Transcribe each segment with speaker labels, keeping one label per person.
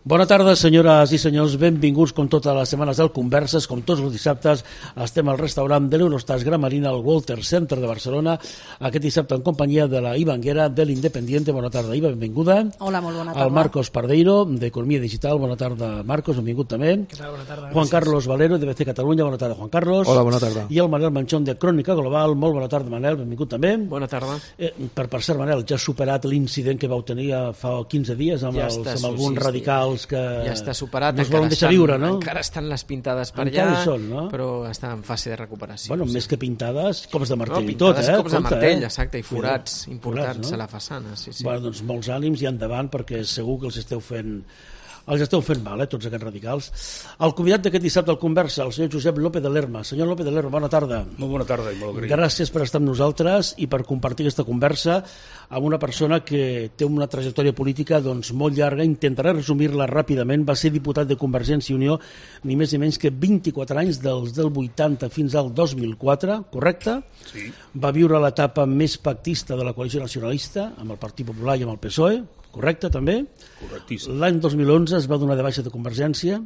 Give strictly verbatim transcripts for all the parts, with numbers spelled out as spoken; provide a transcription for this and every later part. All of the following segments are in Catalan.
Speaker 1: Bona tarda, senyores i senyors, benvinguts com totes les setmanes del Converses, com tots els dissabtes estem al restaurant de l'Eurostars Gramarina al Walter Center de Barcelona, aquest dissabte en companyia de la Ivanguera de l'Independiente. Bona tarda, Iva, benvinguda.
Speaker 2: Hola, molt bona tarda.
Speaker 1: El Marcos Pardeiro, d'Economia Digital. Bona tarda, Marcos, benvingut també.
Speaker 3: Què tal? Bona tarda.
Speaker 1: Juan
Speaker 3: Gràcies.
Speaker 1: Carlos Valero, de B C Catalunya. Bona tarda, Juan Carlos.
Speaker 4: Hola, bona tarda.
Speaker 1: I el Manel Manchón, de Crònica Global. Molt bona tarda, Manel, benvingut també.
Speaker 3: Bona tarda.
Speaker 1: Eh, per, per cert, Manel, ja ha superat l'incident que vau tenir fa quinze dies amb,
Speaker 3: Ja
Speaker 1: els,
Speaker 3: està,
Speaker 1: amb alguns
Speaker 3: sí, sí.
Speaker 1: radicals que
Speaker 3: Ja està superat,
Speaker 1: no es volen
Speaker 3: encara
Speaker 1: deixar
Speaker 3: estan,
Speaker 1: viure, no?
Speaker 3: encara estan les pintades per
Speaker 1: Encara
Speaker 3: allà,
Speaker 1: hi són, no?
Speaker 3: però està en fase de recuperació.
Speaker 1: Bueno,
Speaker 3: sí.
Speaker 1: més que pintades, cops de
Speaker 3: no,
Speaker 1: martell i tot,
Speaker 3: pintades
Speaker 1: eh?
Speaker 3: cops de
Speaker 1: Compte,
Speaker 3: martell,
Speaker 1: eh?
Speaker 3: exacte, i forats
Speaker 1: Cuidado.
Speaker 3: importants
Speaker 1: Forats, no?
Speaker 3: a la façana. Sí, sí.
Speaker 1: Bueno, doncs molts ànims i endavant, perquè segur que els esteu fent els esteu fent mal, eh, tots aquests radicals. El convidat d'aquest dissabte al Conversa, el senyor Josep López de Lerma. Senyor López de Lerma, bona tarda.
Speaker 5: Molt bona tarda i molt agraït.
Speaker 1: Gràcies per estar amb nosaltres i per compartir aquesta conversa amb una persona que té una trajectòria política doncs, molt llarga. Intentaré resumir-la ràpidament. Va ser diputat de Convergència i Unió ni més ni menys que vint-i-quatre anys, dels del vuitanta fins al dos mil quatre, correcte?
Speaker 5: Sí.
Speaker 1: Va viure l'etapa més pactista de la coalició nacionalista, amb el Partit Popular i amb el P S O E, correcte també?
Speaker 5: Correctíssim.
Speaker 1: L'any dos mil onze es va donar de baixa de Convergència,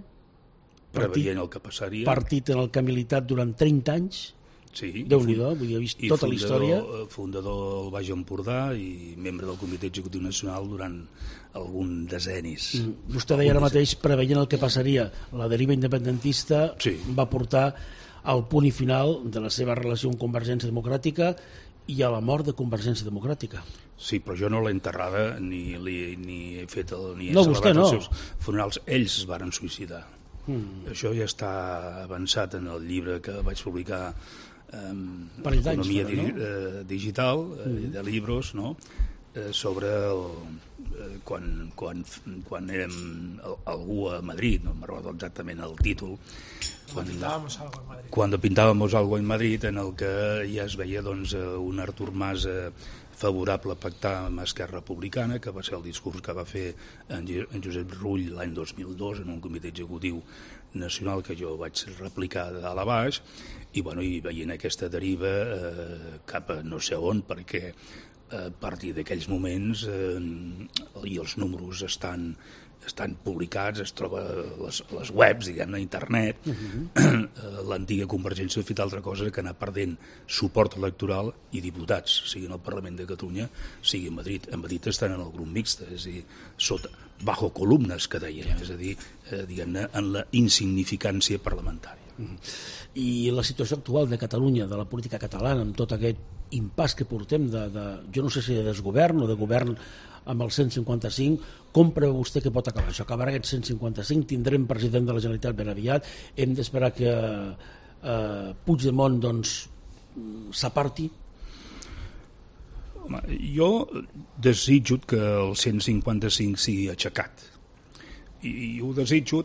Speaker 5: Preveient el que passaria.
Speaker 1: partit en el que ha militat durant trenta anys.
Speaker 5: Sí.
Speaker 1: Déu-n'hi-do, vull dir, ha vist
Speaker 5: I
Speaker 1: tota la història.
Speaker 5: fundador, fundador del Baix Empordà i membre del Comitè Executiu Nacional durant algun decennis.
Speaker 1: Mm. Vostè deia ara mateix, preveient el que passaria, la deriva independentista
Speaker 5: Sí.
Speaker 1: va portar al punt i final de la seva relació amb Convergència Democràtica i a la mort de Convergència Democràtica.
Speaker 5: Sí, però jo no l'he enterrada ni, li, ni he fet el, ni he
Speaker 1: No,
Speaker 5: celebrat
Speaker 1: vostè no.
Speaker 5: els seus funerals. Ells es varen suïcidar.
Speaker 1: Mm.
Speaker 5: Això ja està avançat en el llibre que vaig publicar um,
Speaker 1: Parell d'anys,
Speaker 5: Economia
Speaker 1: però, no?
Speaker 5: di, eh, Digital, eh,
Speaker 1: Mm.
Speaker 5: de llibres, no? eh, sobre el, eh, quan, quan, quan érem el, algú a Madrid, no me'n recordo exactament el títol, quan,
Speaker 3: Pintábamos algo en Madrid.
Speaker 5: quan pintábamos algo en Madrid, en el que ja es veia doncs, un Artur Mas eh, favorable a pactar amb Esquerra Republicana, que va ser el discurs que va fer en, en Josep Rull l'any dos mil dos en un comitè executiu nacional que jo vaig replicar de dalt a baix, i, bueno, i veient aquesta deriva eh, cap a no sé on, perquè a partir d'aquells moments eh, i els números estan estan publicats, es troba a les, a les webs, diguem-ne, a internet. Uh-huh. L'antiga Convergència ha fet altra cosa que anar perdent suport electoral i diputats, sigui en el Parlament de Catalunya, sigui a Madrid. A Madrid estan en el grup mixt, és a dir, sota, bajo columnes, que deien, és a dir, eh, diguem-ne, en la insignificància parlamentària.
Speaker 1: Uh-huh. I la situació actual de Catalunya, de la política catalana, amb tot aquest impàs que portem de, de, jo no sé si de desgovern o de govern amb el cent cinquanta-cinc, com preveu vostè que pot acabar això? Acabarà aquest cent cinquanta-cinc, tindrem president de la Generalitat ben aviat, hem d'esperar que eh, Puigdemont doncs s'aparti?
Speaker 5: Home, jo desitjo que el cent cinquanta-cinc sigui aixecat, i, i ho desitjo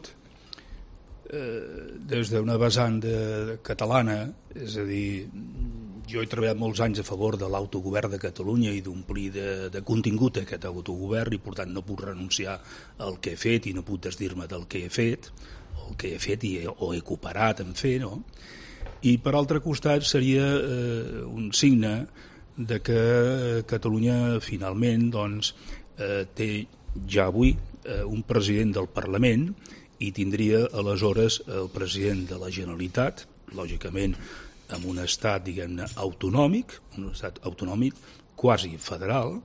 Speaker 5: eh, des d'una vessant de, de catalana, és a dir, jo he treballat molts anys a favor de l'autogovern de Catalunya i d'omplir de, de contingut aquest autogovern, i per tant no puc renunciar al que he fet i no puc desdir-me del que he fet, o el que he fet i he, o he cooperat en fer, no? I per altre costat seria eh, un signe de que Catalunya finalment doncs, eh, té ja avui eh, un president del Parlament i tindria aleshores el president de la Generalitat, lògicament amb un estat, diguem-ne, autonòmic, un estat autonòmic quasi federal,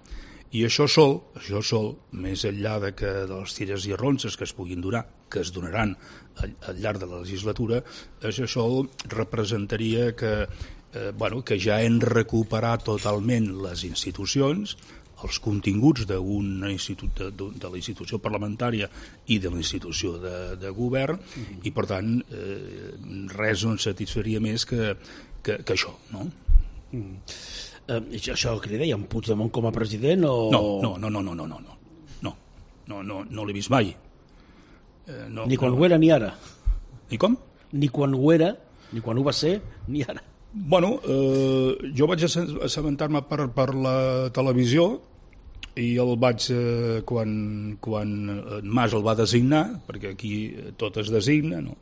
Speaker 5: i això sol, això sol, més enllà de, que, de les tires i arronses que es puguin donar, que es donaran al, al llarg de la legislatura, això sol representaria que, eh, bueno, que ja hem recuperat totalment les institucions, els continguts d'un institut de, de, de la institució parlamentària i de la institució de, de govern, mm-hmm. i per tant eh, res no ens satisfaria més que, que, que això, no?
Speaker 1: Mm. Eh, això que li deia, en Puigdemont com a president o...
Speaker 5: No, no, no, no, no, no, no, no, no, no, no, no l'he vist mai. Eh, no,
Speaker 1: ni quan
Speaker 5: no.
Speaker 1: ho era ni ara.
Speaker 5: Ni com?
Speaker 1: Ni quan ho era, ni quan ho va ser, ni ara.
Speaker 5: Bueno, eh, jo vaig assabentar-me per, per la televisió i el vaig, eh, quan, quan en Mas el va designar, perquè aquí tot es designa, no?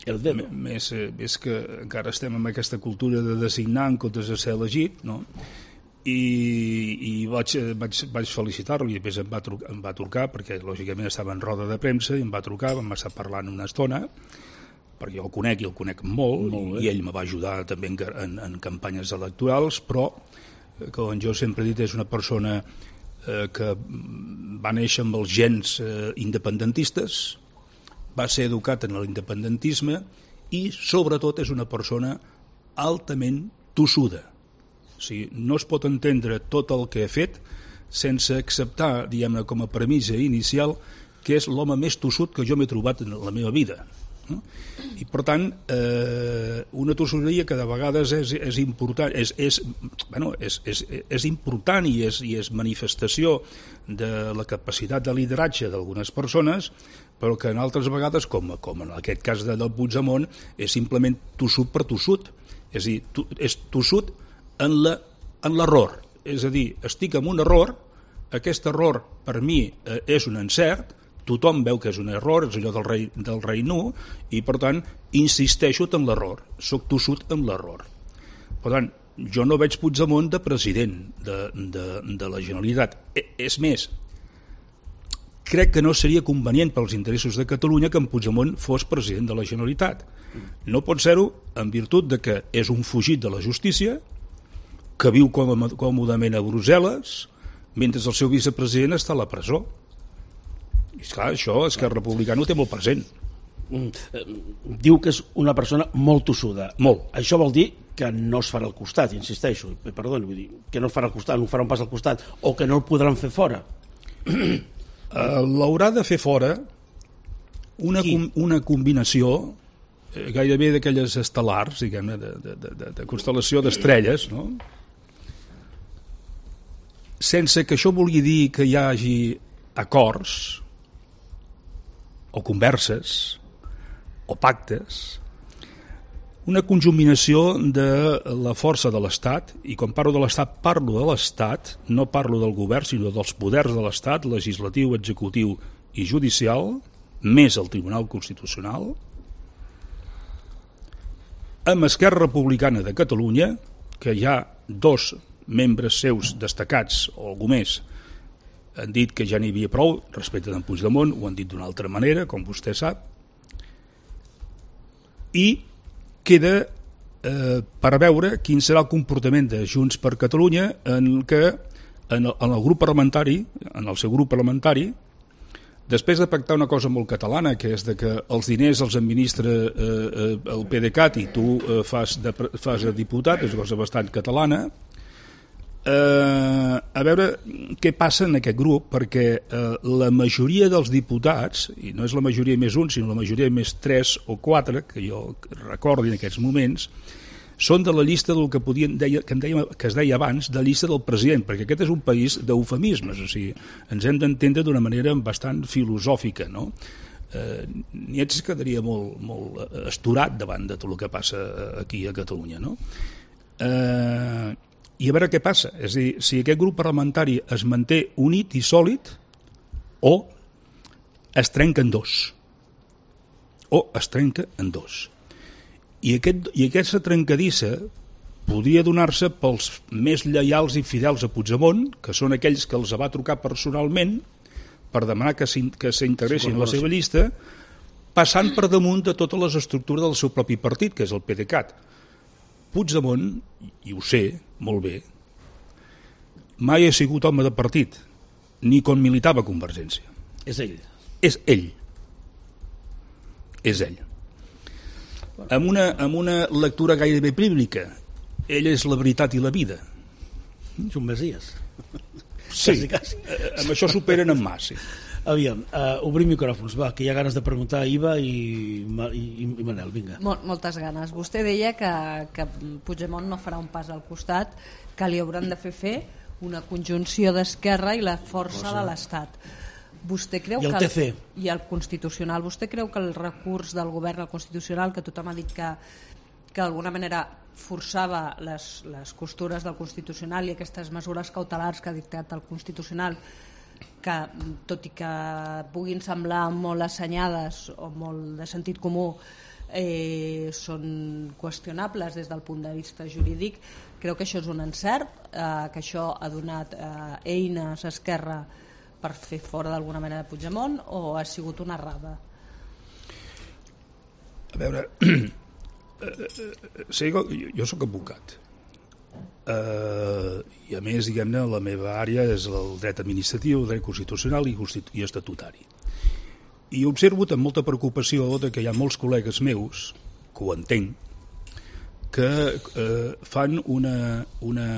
Speaker 1: El dedo.
Speaker 5: Més, més que encara estem en aquesta cultura de designar en comptes de ser elegit, no? i, i vaig, vaig, vaig felicitar-lo i després em va, trucar, em va trucar perquè lògicament estava en roda de premsa i em va trucar, vam estar parlant una estona perquè jo el conec i el conec molt, molt i ell me va ajudar també en, en, en campanyes electorals, però com jo sempre he dit és una persona eh, que va néixer amb els gens eh, independentistes, va ser educat en l'independentisme i sobretot és una persona altament tossuda. O sigui, no es pot entendre tot el que he fet sense acceptar, diguem-ne, com a premissa inicial que és l'home més tossut que jo m'he trobat en la meva vida. No? I per tant, eh, una tossuderia que de vegades és, és important, és, és, bueno, és, és, és important i és, i és manifestació de la capacitat de lideratge d'algunes persones, però que en altres vegades, com, com en aquest cas de, del Puigdemont, és simplement tossut per tossut. És a dir, to, és tossut en la, en l'error. És a dir, estic en un error, aquest error per mi eh, és un encert, tothom veu que és un error, és allò del rei, del rei nu, i per tant insisteixo en l'error, soc tossut en l'error. Per tant, jo no veig Puigdemont de president de, de, de la Generalitat. E, és més, crec que no seria convenient pels interessos de Catalunya que en Puigdemont fos president de la Generalitat. No pot ser-ho en virtut de que és un fugit de la justícia, que viu còmodament a Brussel·les, mentre el seu vicepresident està a la presó. I esclar, això Esquerra Republicana ho té molt present.
Speaker 1: Mm, eh, diu que és una persona molt tossuda.
Speaker 5: Molt.
Speaker 1: Això vol dir que no es farà al costat, insisteixo, perdoni, vull dir, que no es farà al costat, no farà un pas al costat, o que no el podran fer fora.
Speaker 5: Uh, l'haurà de fer fora una, com, una combinació eh, gairebé d'aquelles estel·lars, diguem-ne, de, de, de, de constel·lació d'estrelles, no? Sense que això vulgui dir que hi hagi acords o converses o pactes, una conjuminació de la força de l'Estat, i quan parlo de l'Estat parlo de l'Estat, no parlo del govern sinó dels poders de l'Estat, legislatiu, executiu i judicial, més el Tribunal Constitucional, amb Esquerra Republicana de Catalunya, que hi ha dos membres seus destacats, o algú més, han dit que ja n'hi havia prou respecte d'en Puigdemont, ho han dit d'una altra manera, com vostè sap, i queda eh, per veure quin serà el comportament de Junts per Catalunya en què en el, en el grup parlamentari, en el seu grup parlamentari, després de pactar una cosa molt catalana, que és de que els diners els administra eh, eh, el PDeCAT i tu eh, fas, de, fas de diputat, és una cosa bastant catalana, Eh, a veure què passa en aquest grup, perquè eh, la majoria dels diputats, i no és la majoria més un sinó la majoria més tres o quatre que jo recordi en aquests moments, són de la llista del que, podien, deia, que, en deia, que es deia abans de llista del president, perquè aquest és un país d'eufemismes, o sigui, ens hem d'entendre d'una manera bastant filosòfica, no? Eh, Nietzsche quedaria molt, molt estorat davant de tot el que passa aquí a Catalunya, no? Eh... I a veure què passa, és a dir, si aquest grup parlamentari es manté unit i sòlid o es trenca en dos o es trenca en dos i, aquest, i aquesta trencadissa podria donar-se pels més lleials i fidels a Puigdemont, que són aquells que els va trucar personalment per demanar que s'integressin a la seva llista, passant per damunt de totes les estructures del seu propi partit, que és el PDeCAT. Puigdemont, i ho sé molt bé, mai ha sigut home de partit, ni quan militava a Convergència.
Speaker 1: És ell.
Speaker 5: És ell. És ell. Amb una, amb una lectura gairebé bíblica, ell és la veritat i la vida.
Speaker 1: És un messies.
Speaker 5: Sí, quasi, quasi. Amb això superen en mà, sí.
Speaker 1: Aviam, uh, obrim micròfons, va, que hi ha ganes de preguntar a Iva i, i, i Manel, vinga.
Speaker 2: Mol, moltes ganes. Vostè deia que, que Puigdemont no farà un pas al costat, que li hauran de fer fer una conjunció d'Esquerra i la força Cosa. de l'Estat. Vostè creu
Speaker 1: I el
Speaker 2: que
Speaker 1: T C.
Speaker 2: I el Constitucional. Vostè creu que el recurs del govern al Constitucional, que tothom ha dit que, que d'alguna manera forçava les, les costures del Constitucional i aquestes mesures cautelars que ha dictat el Constitucional, que tot i que puguin semblar molt assenyades o molt de sentit comú, eh, són qüestionables des del punt de vista jurídic. Creu que això és un encert, eh, que això ha donat eh, eines a Esquerra per fer fora d'alguna manera de Puigdemont, o ha sigut una errada?
Speaker 5: A veure, sí, jo, jo soc advocat. Uh, i a més, diguem-ne, la meva àrea és el dret administratiu, el dret constitucional i, constitu i estatutari. I he observat amb molta preocupació de que hi ha molts col·legues meus, que ho entenc, que uh, fan una, una...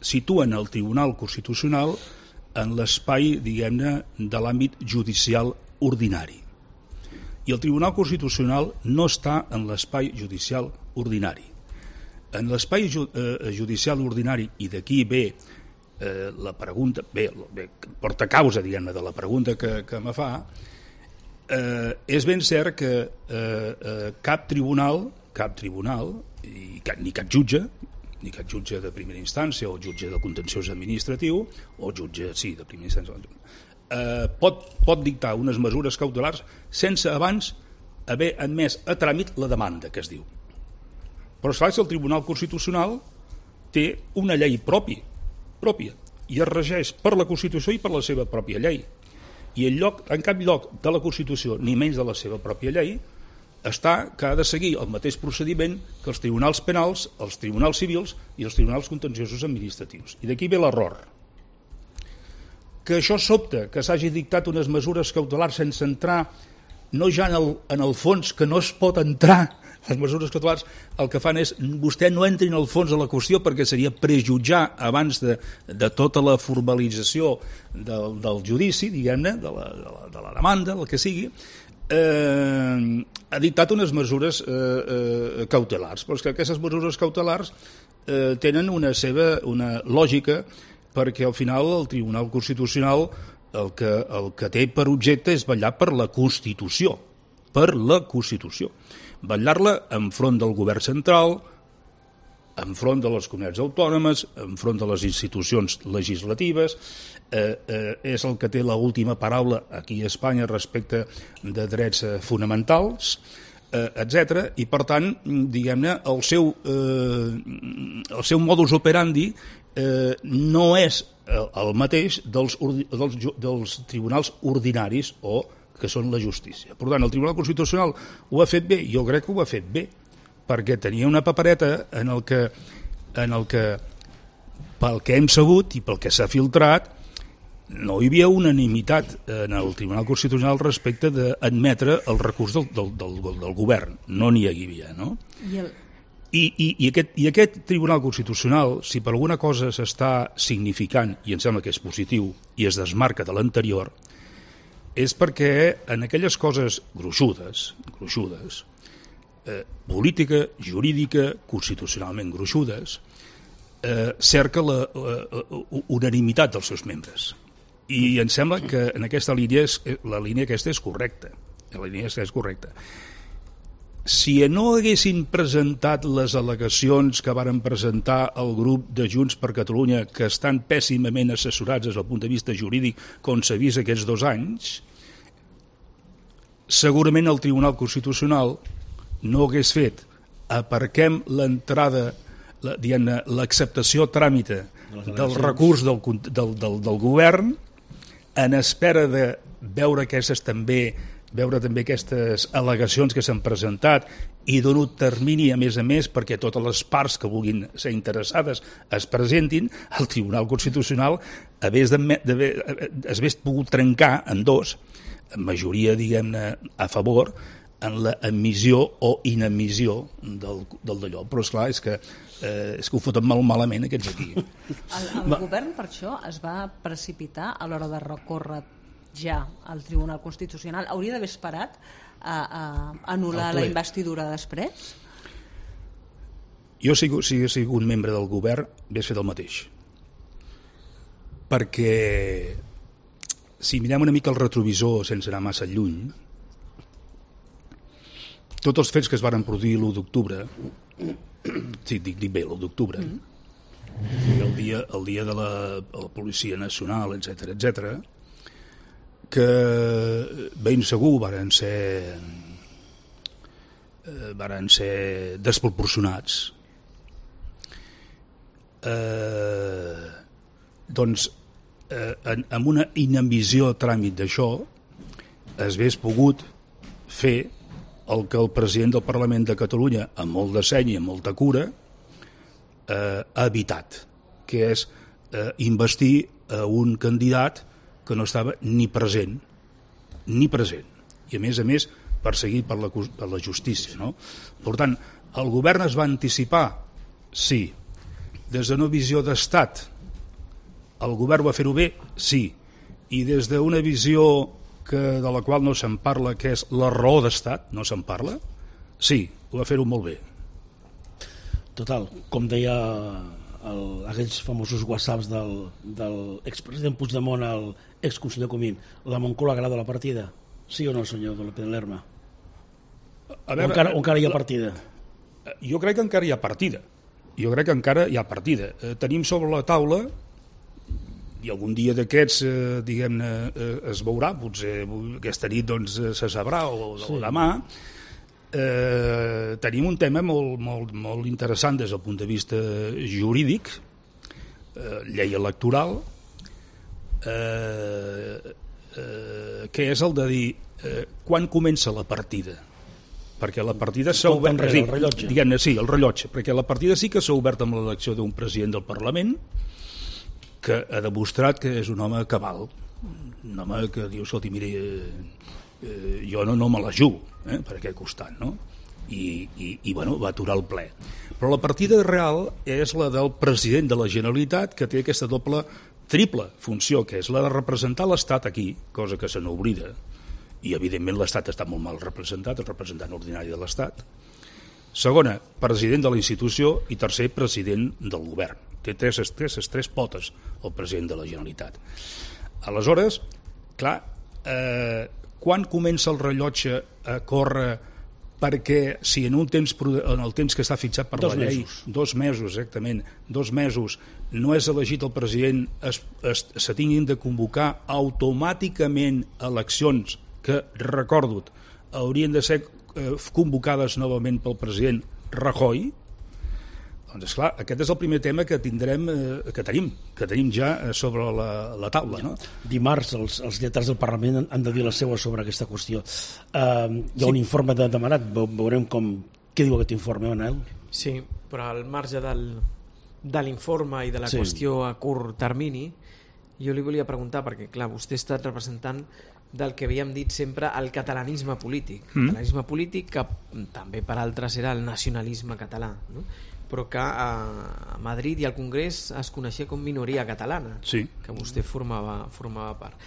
Speaker 5: situen el Tribunal Constitucional en l'espai, diguem-ne, de l'àmbit judicial ordinari. I el Tribunal Constitucional no està en l'espai judicial ordinari. En l'espai ju eh, judicial ordinari, i d'aquí ve eh, la pregunta, bé, bé porta causa, diguem-ne, de la pregunta que, que me fa, eh, és ben cert que eh, eh, cap tribunal, cap tribunal, i cap, ni cap jutge, ni cap jutge de primera instància, o jutge de contenciós administratiu, o jutge, sí, de primera instància, eh, pot, pot dictar unes mesures cautelars sense abans haver admès a tràmit la demanda, que es diu. Però, esclar, el Tribunal Constitucional té una llei propi, pròpia i es regeix per la Constitució i per la seva pròpia llei. I en, lloc, en cap lloc de la Constitució, ni menys de la seva pròpia llei, està que ha de seguir el mateix procediment que els tribunals penals, els tribunals civils i els tribunals contenciosos administratius. I d'aquí ve l'error. Que això sobta, que s'hagi dictat unes mesures cautelars sense entrar, no ja en el, en el fons, que no es pot entrar. Les mesures cautelars el que fan és vostè no entri en el fons de la qüestió perquè seria prejutjar abans de, de tota la formalització del, del judici, diguem-ne, de, la, de, la, de la demanda, el que sigui, eh, ha dictat unes mesures eh, eh, cautelars. Però és que aquestes mesures cautelars eh, tenen una seva una lògica, perquè al final el Tribunal Constitucional el que, el que té per objecte és vetllar per la Constitució, per la Constitució. Vetllar-la enfront del govern central, enfront de les comunitats autònomes, enfront de les institucions legislatives, eh, eh, és el que té l'última paraula aquí a Espanya respecte de drets eh, fonamentals, eh, etcètera. I per tant, diguem-ne, el seu, eh, el seu modus operandi eh, no és el mateix dels, dels, dels tribunals ordinaris o que són la justícia. Per tant, el Tribunal Constitucional ho ha fet bé, jo crec que ho ha fet bé, perquè tenia una papereta en el que, en el que pel que hem sabut i pel que s'ha filtrat, no hi havia unanimitat en el Tribunal Constitucional respecte d'admetre el recurs del, del, del, del govern. No n'hi havia, no?
Speaker 2: I el...
Speaker 5: I, i, i, aquest, I aquest Tribunal Constitucional, si per alguna cosa s'està significant, i em sembla que és positiu, i es desmarca de l'anterior, és perquè en aquelles coses gruixudes, gruixudes, eh, política, jurídica, constitucionalment gruixudes, eh, cerca la, la, la unanimitat dels seus membres. I em sembla que en aquesta línia és, la línia aquesta és correcta. La línia aquesta és correcta. Si no haguessin presentat les al·legacions que varen presentar el grup de Junts per Catalunya, que estan pèssimament assessorats des del punt de vista jurídic, com s'ha vist aquests dos anys, segurament el Tribunal Constitucional no hagués fet aparquem l'entrada, la, diguem-ne, l'acceptació tràmite del recurs del, del, del, del govern, en espera de veure aquestes també veure també aquestes al·legacions que s'han presentat i donar termini, a més a més, perquè totes les parts que vulguin ser interessades es presentin, el Tribunal Constitucional hagués pogut trencar en dos, en majoria, diguem-ne, a favor, en la emissió o inemissió del, del d'allò. Però, esclar, és que, eh, és que ho foten molt malament aquests aquí.
Speaker 2: El, el govern, per això, es va precipitar a l'hora de recórrer ja al Tribunal Constitucional. Hauria d'haver esperat a, a anul·lar la investidura després?
Speaker 5: Jo, si hagués sigut membre del govern, hauria fet el mateix. Perquè si mirem una mica el retrovisor sense anar massa lluny, tots els fets que es varen produir l'u d'octubre, sí, dic, dic bé, l'u d'octubre, mm. el, dia, el dia de la, la Policia Nacional, etcètera, etcètera, que ben segur varen ser eh, van ser desproporcionats. Eh, doncs, eh, en, amb una inambició tràmit d'això, es hagués pogut fer el que el president del Parlament de Catalunya, amb molt de seny i amb molta cura, eh, ha evitat, que és eh, investir a un candidat que no estava ni present, ni present, i a més a més perseguit per la, per la justícia. No? Per tant, el govern es va anticipar? Sí. Des d'una visió d'estat, el govern va fer-ho bé? Sí. I des d'una visió que, de la qual no se'n parla, que és la raó d'estat, no se'n parla? Sí, ho va fer-ho molt bé.
Speaker 1: Total, com deia el, aquells famosos whatsapps del, del expresident Puigdemont al exconseller Comín, la Moncloa agrada la partida? Sí o no, senyor de López Lerma? A veure, o encara, o encara hi ha partida?
Speaker 5: Jo crec que encara hi ha partida. Jo crec que encara hi ha partida. Eh, tenim sobre la taula, i algun dia d'aquests, eh, diguem-ne, eh, es veurà, potser aquesta nit doncs, se sabrà, o, sí. o demà, eh, tenim un tema molt, molt, molt interessant des del punt de vista jurídic, eh, llei electoral, eh, eh, que és el de dir eh, quan comença la partida, perquè la partida s'ha obert,
Speaker 1: el rellotge.
Speaker 5: Diguem-ne, sí, el rellotge, perquè la partida sí que s'ha obert amb l'elecció d'un president del Parlament que ha demostrat que és un home cabal, un home que diu, escolti, mira, eh, eh, jo no, no me la jugo eh, per aquest costat, no? I, i, i bueno, va aturar el ple. Però la partida real és la del president de la Generalitat, que té aquesta doble, triple funció, que és la de representar l'Estat aquí, cosa que se n'oblida, i evidentment l'Estat està molt mal representat, el representant ordinari de l'Estat. Segona, president de la institució, i tercer, president del govern. Té tres, tres, tres potes el president de la Generalitat. Aleshores, clar, eh, quan comença el rellotge a córrer, perquè si en un temps, en el temps que està fixat per
Speaker 1: dos
Speaker 5: la llei,
Speaker 1: mesos.
Speaker 5: dos mesos exactament, dos mesos, no és elegit el president, es, es, se tinguin de convocar automàticament eleccions que, recordo, haurien de ser eh, convocades novament pel president Rajoy. Doncs esclar, aquest és el primer tema que tindrem, eh, que tenim, que tenim ja sobre la, la taula. No?
Speaker 1: Dimarts els, els lletrats del Parlament han de dir la seva sobre aquesta qüestió. Uh, hi ha un
Speaker 3: sí.
Speaker 1: informe de, demanat, veurem com, què diu aquest informe, Manel?
Speaker 3: Sí, però al marge del, de l'informe i de la
Speaker 1: sí.
Speaker 3: qüestió a curt termini, jo li volia preguntar, perquè clar, vostè ha estat representant del que havíem dit sempre el catalanisme polític. El mm. catalanisme polític que també per altres era el nacionalisme català, no? Però que a Madrid i al Congrés es coneixia com minoria catalana,
Speaker 5: sí.
Speaker 3: que vostè formava, formava part.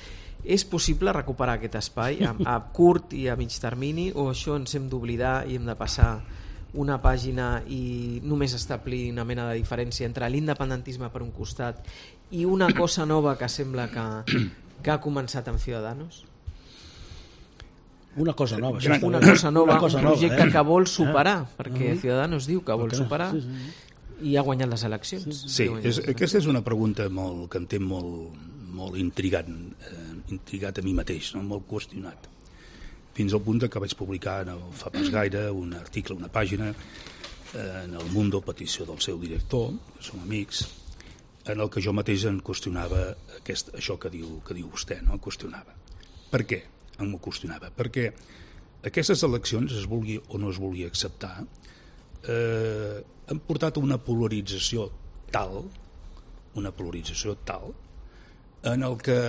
Speaker 3: És possible recuperar aquest espai a, a curt i a mig termini, o això ens hem d'oblidar i hem de passar una pàgina i només establir una mena de diferència entre l'independentisme per un costat i una cosa nova que sembla que, que ha començat amb Ciudadanos?
Speaker 1: Una cosa nova.
Speaker 3: Una, una cosa nova,
Speaker 1: una cosa
Speaker 3: un projecte
Speaker 1: nova, eh?
Speaker 3: que vol superar, eh? perquè
Speaker 1: uh-huh.
Speaker 3: Ciudadanos diu que vol
Speaker 1: okay.
Speaker 3: superar
Speaker 1: sí, sí.
Speaker 3: i ha guanyat les eleccions.
Speaker 5: Sí, sí és, aquesta és una pregunta molt, que em té molt, molt intrigat, eh, intrigat a mi mateix, no? Molt qüestionat. Fins al punt que vaig publicar no fa pas gaire un article, una pàgina, eh, en el Mundo, petició del seu director, que som amics, en el que jo mateix en qüestionava aquest, això que diu, que diu vostè, no? Qüestionava. Per què? Em qüestionava. Perquè aquestes eleccions, es vulgui o no es vulgui acceptar, eh, han portat una polarització tal, una polarització tal, en el que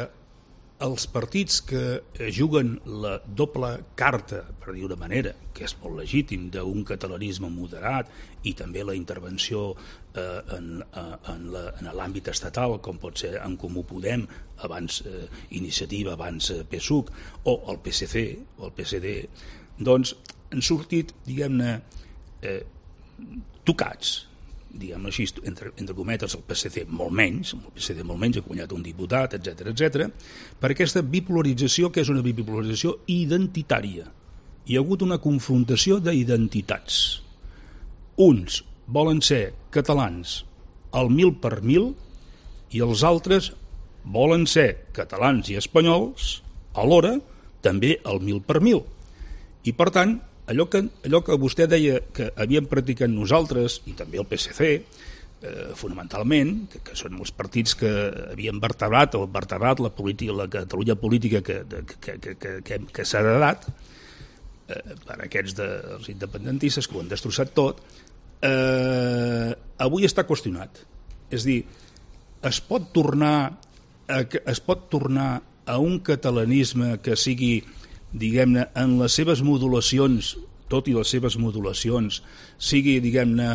Speaker 5: els partits que juguen la doble carta, per dir una manera, que és molt legítim, d'un catalanisme moderat i també la intervenció eh, en, en, la, en l'àmbit estatal, com pot ser en Comú Podem, abans eh, Iniciativa, abans eh, P S U C, o el P S C, o el P S D, doncs han sortit, diguem-ne, eh, tocats, diguem així, entre, entre cometes, el P S C molt menys, el P S C molt menys, ha guanyat un diputat, etcètera, etcètera, per aquesta bipolarització, que és una bipolarització identitària. Hi ha hagut una confrontació d'identitats. Uns volen ser catalans al mil per mil i els altres volen ser catalans i espanyols alhora també al mil per mil. I, per tant, allò que, allò que vostè deia que havíem practicat nosaltres, i també el P S C, eh, fonamentalment, que, que són els partits que havien vertebrat o vertebrat la, política, la Catalunya política que, que, que, que, que, que s'ha heredat, eh, per aquests dels independentistes que ho han destrossat tot, eh, avui està qüestionat. És a dir, es pot tornar a, es pot tornar a un catalanisme que sigui, diguem-ne, en les seves modulacions, tot i les seves modulacions, sigui, diguem-ne,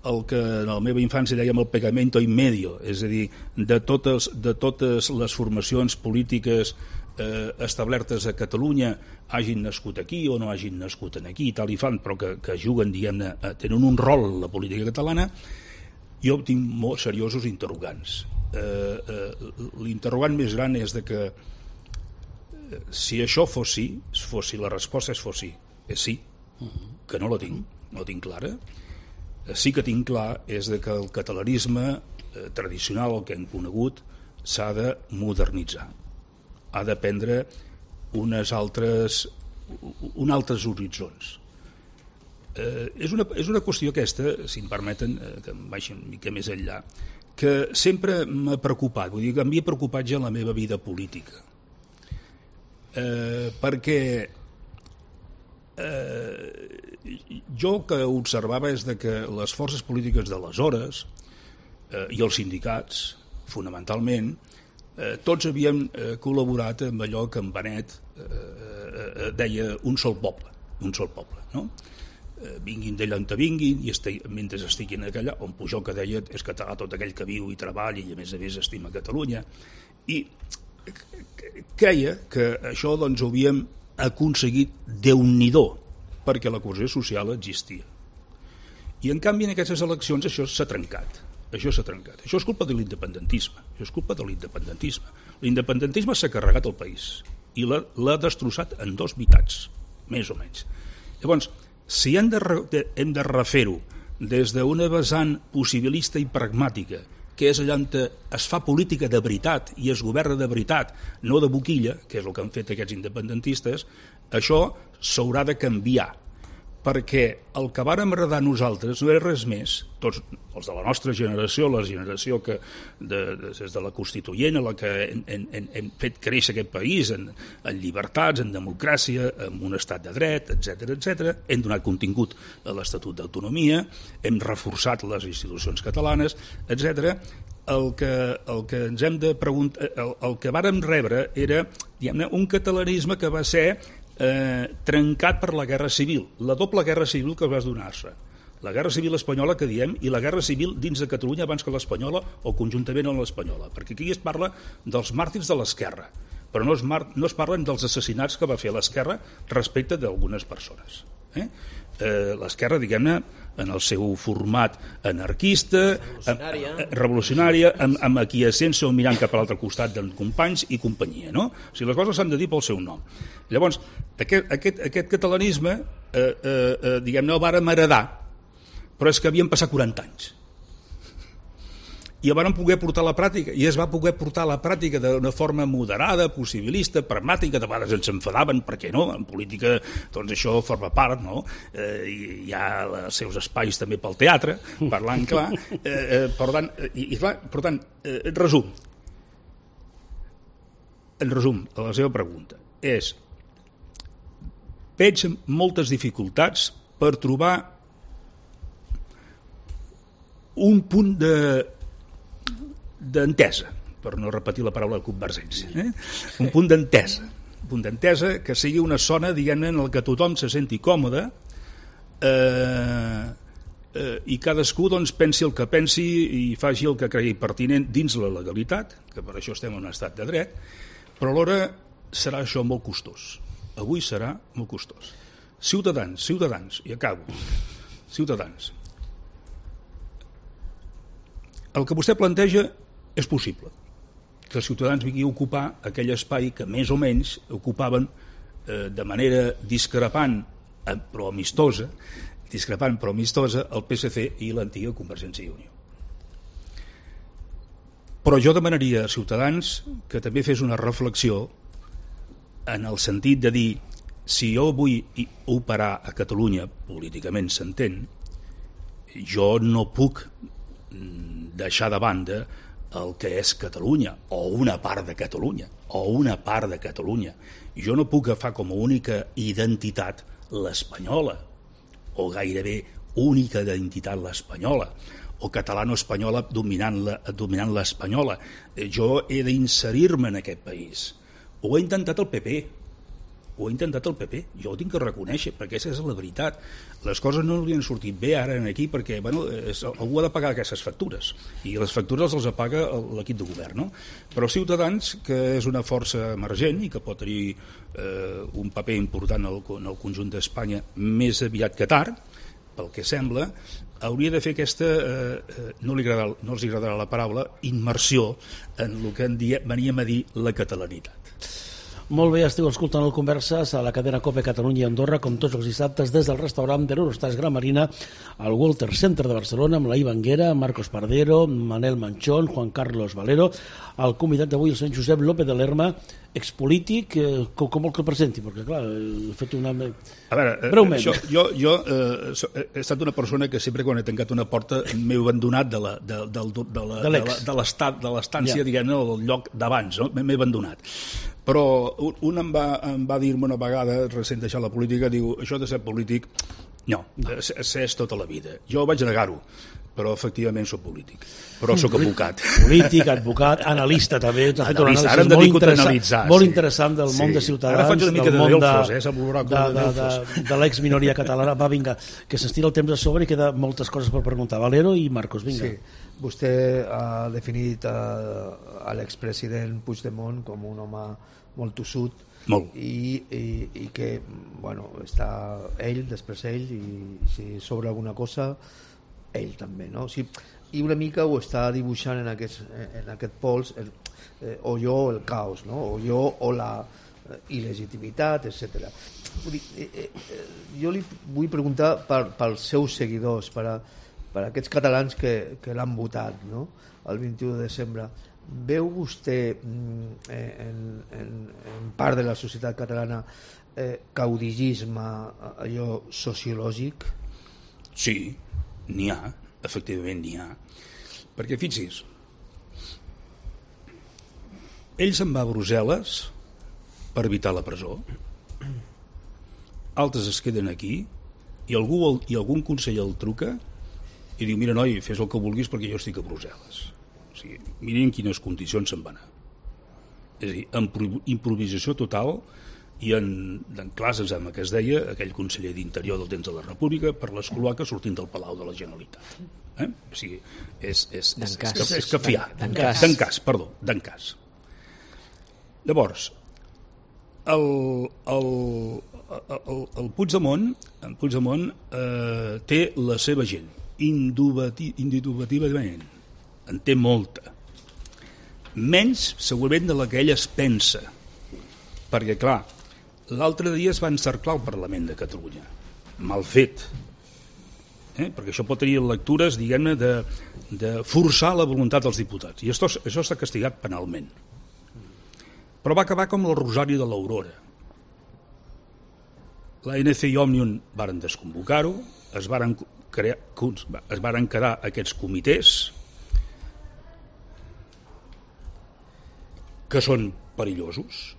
Speaker 5: el que en la meva infància dèiem el pegamento in medio, és a dir, de totes, de totes les formacions polítiques eh, establertes a Catalunya hagin nascut aquí o no hagin nascut aquí, tal i fan, però que, que juguen, diguem-ne, tenen un rol en la política catalana, jo tinc molt seriosos interrogants. Eh, eh, l'interrogant més gran és de que eh, si això fos sí, fos sí, la resposta és fos sí, és sí, que no la tinc, no la tinc clara. Eh, sí que tinc clar és de que el catalanisme eh, tradicional, el que hem conegut, s'ha de modernitzar, ha de prendre unes altres, un altres horitzons. Eh, és, una, és una qüestió aquesta, si em permeten, eh, que em baixi una mica més enllà, que sempre m'ha preocupat, vull dir que m'havia preocupat ja en la meva vida política. Eh, perquè eh, jo que observava és de que les forces polítiques d'aleshores eh, i els sindicats, fonamentalment, eh, tots havíem eh, col·laborat amb allò que en Benet eh, eh, deia un sol poble, un sol poble, no? Vinguin d'allà on vinguin i estigui, mentre estiguin allà, on Pujol que deia és català tot aquell que viu i treballa i a més a més estima Catalunya, i creia que això doncs ho havíem aconseguit Déu-n'hi-do, perquè la cohesió social existia. I en canvi en aquestes eleccions això s'ha trencat, això s'ha trencat. Això és culpa de l'independentisme, això és culpa de l'independentisme. L'independentisme s'ha carregat el país i l'ha destrossat en dos meitats, més o menys. Llavors, si hem de, hem de refer-ho des d'una vessant possibilista i pragmàtica, que és allà on es fa política de veritat i es governa de veritat, no de boquilla, que és el que han fet aquests independentistes, això s'haurà de canviar, perquè el que vàrem heredar nosaltres no és res més, tots els de la nostra generació, la generació que de, de, des de la Constituent, a la que hem, hem, hem fet créixer aquest país en, en llibertats, en democràcia, en un estat de dret, etcètera, etcètera. Hem donat contingut a l'Estatut d'Autonomia, hem reforçat les institucions catalanes, etcètera. El que, el que ens hem de preguntar, el, el que vàrem rebre era, diguem-ne, un catalanisme que va ser Eh, trencat per la guerra civil, la doble guerra civil que va donar-se, la guerra civil espanyola que diem i la guerra civil dins de Catalunya abans que l'espanyola o conjuntament amb l'espanyola, perquè aquí es parla dels màrtirs de l'esquerra, però no es, mar... no es parlen dels assassinats que va fer l'esquerra respecte d'algunes persones. Eh? Eh, l'esquerra, diguem-ne, en el seu format anarquista, revolucionària, amb, revolucionària amb, amb aquiescència o mirant cap a l'altre costat de companys i companyia, no? O sigui, les coses s'han de dir pel seu nom. Llavors, aquest, aquest, aquest catalanisme, eh, eh, diguem-ne, el vàrem heredar, però és que havien passat quaranta anys. I el van poder portar a la pràctica, i es va poder portar a la pràctica d'una forma moderada, possibilista, pragmàtica, de vegades ens enfadaven, perquè no, en política doncs això forma part, no? Eh, hi ha els seus espais també pel teatre, parlant clar, eh, eh, per tant, i, i clar, per tant, eh, en resum, en resum, a la seva pregunta, és, veig moltes dificultats per trobar un punt de d'entesa, per no repetir la paraula convergència, eh? un punt d'entesa, un punt d'entesa que sigui una zona, diguem-ne, en el que tothom se senti còmode eh, eh, i cadascú doncs, pensi el que pensi i faci el que cregui pertinent dins la legalitat, que per això estem en un estat de dret, però alhora serà això molt costós. Avui serà molt costós. Ciutadans, ciutadans, i acabo, ciutadans. El que vostè planteja és possible, que els ciutadans vinguin a ocupar aquell espai que més o menys ocupaven eh, de manera discrepant però amistosa, discrepant però amistosa el P S C i l'antiga Convergència i Unió. Però jo demanaria als ciutadans que també fes una reflexió en el sentit de dir, si jo vull operar a Catalunya, políticament s'entén, jo no puc deixar de banda el que és Catalunya, o una part de Catalunya, o una part de Catalunya. Jo no puc agafar com a única identitat l'espanyola, o gairebé única identitat l'espanyola, o catalano-espanyola dominant l'espanyola. Jo he d'inserir-me en aquest país. Ho ha intentat el P P, ho ha intentat el P P, jo ho tinc que reconèixer, perquè aquesta és la veritat. Les coses no li han sortit bé ara aquí perquè bueno, és, algú ha de pagar aquestes factures, i les factures les apaga l'equip de govern, no? Però Ciutadans, que és una força emergent i que pot tenir eh, un paper important en el, en el conjunt d'Espanya més aviat que tard, pel que sembla, hauria de fer aquesta, eh, no, li agrada, no els agradarà la paraula, immersió en el que en dia, veníem a dir la catalanitat.
Speaker 1: Molt bé, esteu escoltant el Converses a la cadena COPE Catalunya i Andorra, com tots els dissabtes, des del restaurant de l'Eurostars Gran Marina al Walter Center de Barcelona, amb la Ivanguera, Marcos Pardero, Manel Manchón, Juan Carlos Valero, el convidat d'avui, el senyor Josep López de Lerma, expolític, eh, com, com vol que el presenti? Perquè, clar, he fet una...
Speaker 5: A veure,
Speaker 1: breument.
Speaker 5: Això, jo, jo eh, he estat una persona que sempre quan he tancat una porta m'he abandonat de la, de, de, de, de, la, de, la, de l'estat, de l'estància, ja. diguem-ne, del lloc d'abans, no? M'he abandonat. Però un em va, em va dir-me una vegada, recent deixar la política, diu, això de ser polític, no, és tota la vida. Jo vaig negar-ho, però efectivament soc polític, però sóc advocat.
Speaker 1: Polític, advocat, analista també. Has fet una
Speaker 5: anàlisi molt interessant,
Speaker 1: molt
Speaker 5: sí.
Speaker 1: interessant del món sí. de Ciutadans.
Speaker 5: Ara faig una mica
Speaker 1: del
Speaker 5: de
Speaker 1: món
Speaker 5: Delfos, eh?
Speaker 1: de, de, de, de, de l'ex-minoria catalana. Va, vinga, que s'estira el temps a sobre i queda moltes coses per preguntar. Valero i Marcos, vinga.
Speaker 4: Sí. Vostè ha definit a, a l'expresident Puigdemont com un home molt tossut,
Speaker 5: molt.
Speaker 4: I, i, i que bueno, està ell, després ell, i si sobre alguna cosa ell també, no? O sigui, i una mica ho està dibuixant en aquest, en aquest pols el, eh, o jo el caos, no? O jo o la il·legitimitat, etcètera. Vull dir, eh, eh, jo li vull preguntar per, pels seus seguidors, per, a, per a aquests catalans que, que l'han votat, no? El vint-i-u de desembre. Veu vostè eh, en, en, en part de la societat catalana eh, caudigisme, allò sociològic?
Speaker 5: Sí, n'hi ha, efectivament n'hi ha. Perquè fixis, ell se'n va a Brussel·les per evitar la presó, altres es queden aquí i, algú, i algun conseller el truca i diu, mira noi, fes el que vulguis perquè jo estic a Brussel·les. O sigui, miren en quines condicions se'n va anar. És a dir, en improvisació total i en, en classes amb que es deia aquell conseller d'Interior del temps de la República per les cloaques sortint del Palau de la Generalitat. Eh? O sigui, és, és, és, és, és cafiar. D'encàs, perdó, d'encàs. Llavors, el, el, el, el Puigdemont, el Puigdemont eh, té la seva gent, indubitativament. En té molta. Menys, segurament, de la que ell es pensa. Perquè, clar, l'altre dia es va encerclar el Parlament de Catalunya. Mal fet. Eh? Perquè això pot tenir lectures, diguem-ne, de, de forçar la voluntat dels diputats. I això, això està castigat penalment. Però va acabar com el Rosari de l'Aurora. La N C i Òmnium varen desconvocar-ho, es varen, crear, es varen quedar aquests comitès que són perillosos,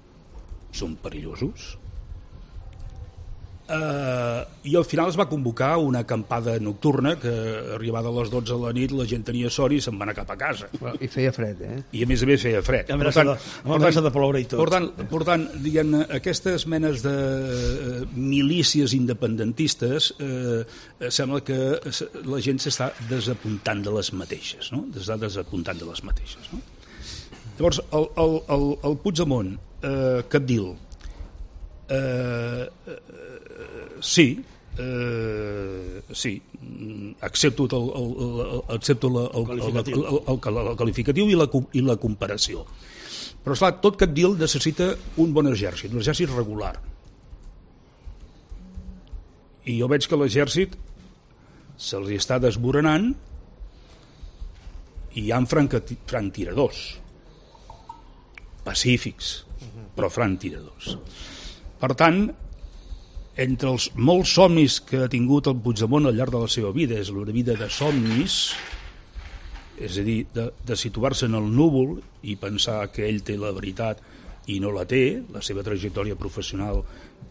Speaker 5: són perillosos, eh, i al final es va convocar una acampada nocturna que arribada a les dotze de la nit la gent tenia son i se'n va anar cap a casa.
Speaker 4: I feia fred, eh?
Speaker 5: I a més a més feia fred.
Speaker 1: Amb amenaça de ploure i tot.
Speaker 5: Per tant, per tant diguem-ne, aquestes menes de eh, milícies independentistes eh, sembla que la gent s'està desapuntant de les mateixes, no? S'està desapuntant de les mateixes, no? Llavors, el, el, el, el Puigdemont, eh, capdil, eh, eh, sí, eh, sí, accepto el, el, el, accepto la, el, el, el, el, el, el qualificatiu i la, i la comparació. Però, esclar, tot capdil necessita un bon exèrcit, un exèrcit regular. I jo veig que l'exèrcit se'ls està desmoronant i hi ha franctiradors. Pacífics, però franctiradors. Per tant, entre els molts somnis que ha tingut el Puigdemont al llarg de la seva vida, és una vida de somnis, és a dir, de, de situar-se en el núvol i pensar que ell té la veritat i no la té, la seva trajectòria professional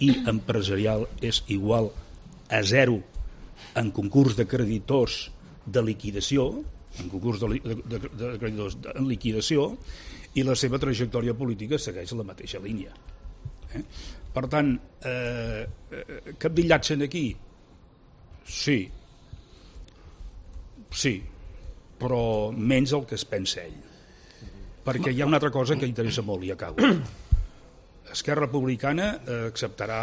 Speaker 5: i empresarial és igual a zero en concurs de creditors de liquidació, en concurs de, de, de, de creditors de, en liquidació, i la seva trajectòria política segueix la mateixa línia. Eh? Per tant, eh, capdillatge aquí? Sí. Sí, però menys el que es pensa ell. Perquè hi ha una altra cosa que interessa molt, i acabo. Esquerra Republicana acceptarà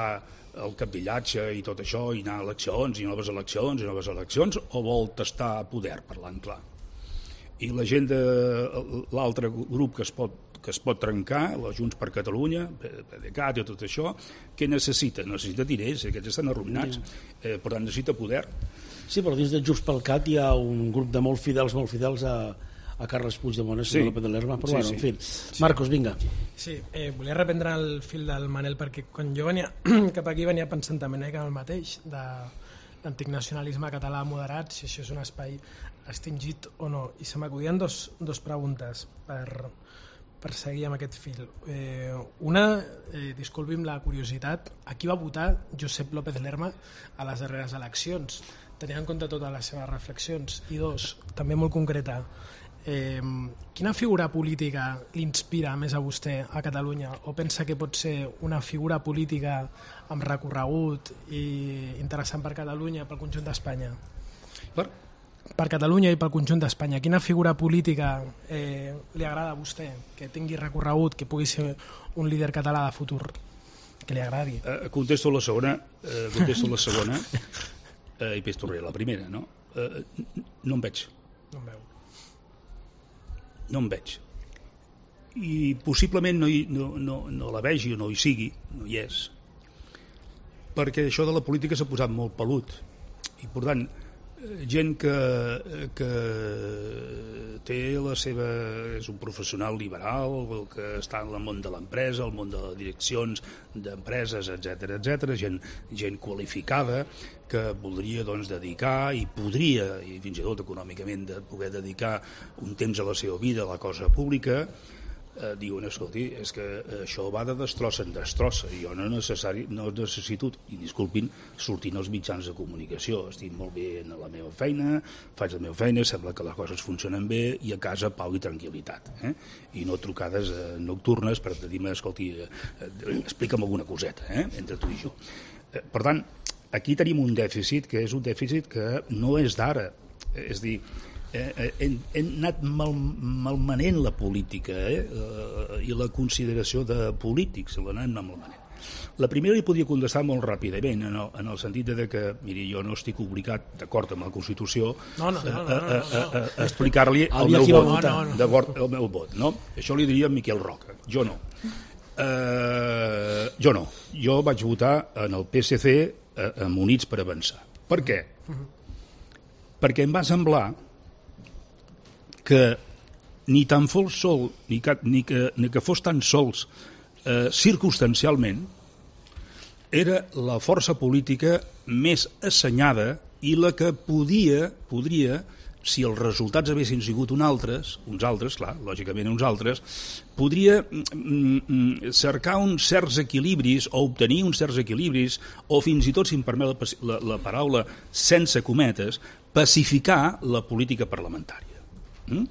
Speaker 5: el capdillatge i tot això, i anar a eleccions, i noves eleccions, i noves eleccions, o vol tastar poder, parlant clar? I la gent de l'altre grup que es pot que es pot trencar, la Junts per Catalunya, PDeCAT i tot això, què necessita? Necessita diners, aquests estan arruïnats, eh, per tant necessita poder.
Speaker 1: Sí, però dins de Junts pel Cat hi ha un grup de molt fidels, molt fidels a, a Carles Puigdemont, sí. López de Lerma, però sí, bueno, en fi. Sí. Marcos, vinga.
Speaker 6: Sí, eh, volia reprendre el fil del Manel, perquè quan jo venia cap aquí venia pensant també una mica el mateix, de l'antic nacionalisme català moderat, si això és un espai extingit o no. I se m'acudien dos, dos preguntes per... per seguir amb aquest fil. Eh, una, eh, disculpi'm la curiositat, a qui va votar Josep López Lerma a les darreres eleccions, tenint en compte totes les seves reflexions? I dos, també molt concreta, eh, quina figura política l'inspira més a vostè a Catalunya, o pensa que pot ser una figura política amb recorregut i interessant per Catalunya, pel conjunt d'Espanya?
Speaker 5: Per?
Speaker 6: Per Catalunya i pel conjunt d'Espanya. Quina figura política eh, li agrada a vostè, que tingui recorregut, que pugui ser un líder català de futur, que li agradi?
Speaker 5: Eh, contesto la segona, eh, contesto la segona eh, i després tornaré a la primera, no? Eh, no em veig.
Speaker 6: No em veu.
Speaker 5: No em veig. I possiblement no, hi, no, no, no la vegi o no hi sigui, no hi és, perquè això de la política s'ha posat molt pelut. I per tant, gent que, que té la seva... és un professional liberal, que està en el món de l'empresa, el món de les direccions d'empreses, etcètera, etcètera, gent, gent qualificada que voldria doncs, dedicar i podria, i fins i tot econòmicament, de poder dedicar un temps a la seva vida a la cosa pública, eh, diuen, escolti, és que això va de destrossa en destrossa, i jo no, necessari, no necessito, i disculpin, sortint als mitjans de comunicació, estic molt bé en la meva feina, faig la meva feina, sembla que les coses funcionen bé, i a casa pau i tranquil·litat, eh? I no trucades eh, nocturnes per dir-me, escolti, eh, eh, explica'm alguna coseta, eh? Entre tu i jo. Eh, per tant, aquí tenim un dèficit que és un dèficit que no és d'ara, és dir, Eh, hem, hem anat mal, malmanent la política eh, eh, i la consideració de polítics, l'hem anat malmanent. La primera li podia contestar molt ràpidament, en el, en el sentit de que, miri, jo no estic obligat, d'acord amb la Constitució,
Speaker 6: no, no, no, no, no, no, no.
Speaker 5: a, a, a explicar-li el meu vot, no, no, no. d'acord, el meu vot, no? Això li diria a Miquel Roca, jo no. Eh, jo no. Jo vaig votar en el P S C eh, amb Units per Avançar. Per què? Uh-huh. Perquè em va semblar que ni tan fos sol, ni que, ni que, ni que fos tan sols eh, circumstancialment, era la força política més assenyada i la que podia, podria, si els resultats haguessin sigut un altres, uns altres, clar, lògicament uns altres, podria mm, cercar uns certs equilibris o obtenir uns certs equilibris o fins i tot, si em permet la, la, la paraula sense cometes, pacificar la política parlamentària. Mm?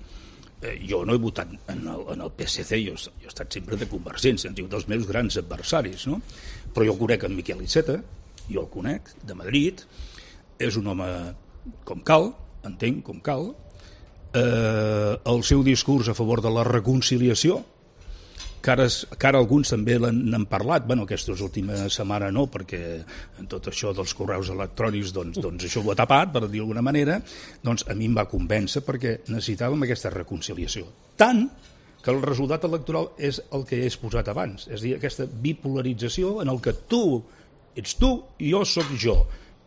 Speaker 5: Eh, jo no he votat en el, en el P S C, jo, jo he estat sempre de Convergència, han sigut els meus grans adversaris, no? Però jo el conec en Miquel Iceta, jo el conec, de Madrid, és un home com cal, entenc com cal, eh, el seu discurs a favor de la reconciliació, que ara, que ara alguns també n'han parlat, bueno, aquesta última setmana no, perquè en tot això dels correus electrònics doncs, doncs això ho ha tapat, per dir d'alguna manera, doncs a mi em va convèncer perquè necessitàvem aquesta reconciliació. Tant que el resultat electoral és el que he exposat abans, és a dir, aquesta bipolarització en el que tu ets tu i jo sóc jo,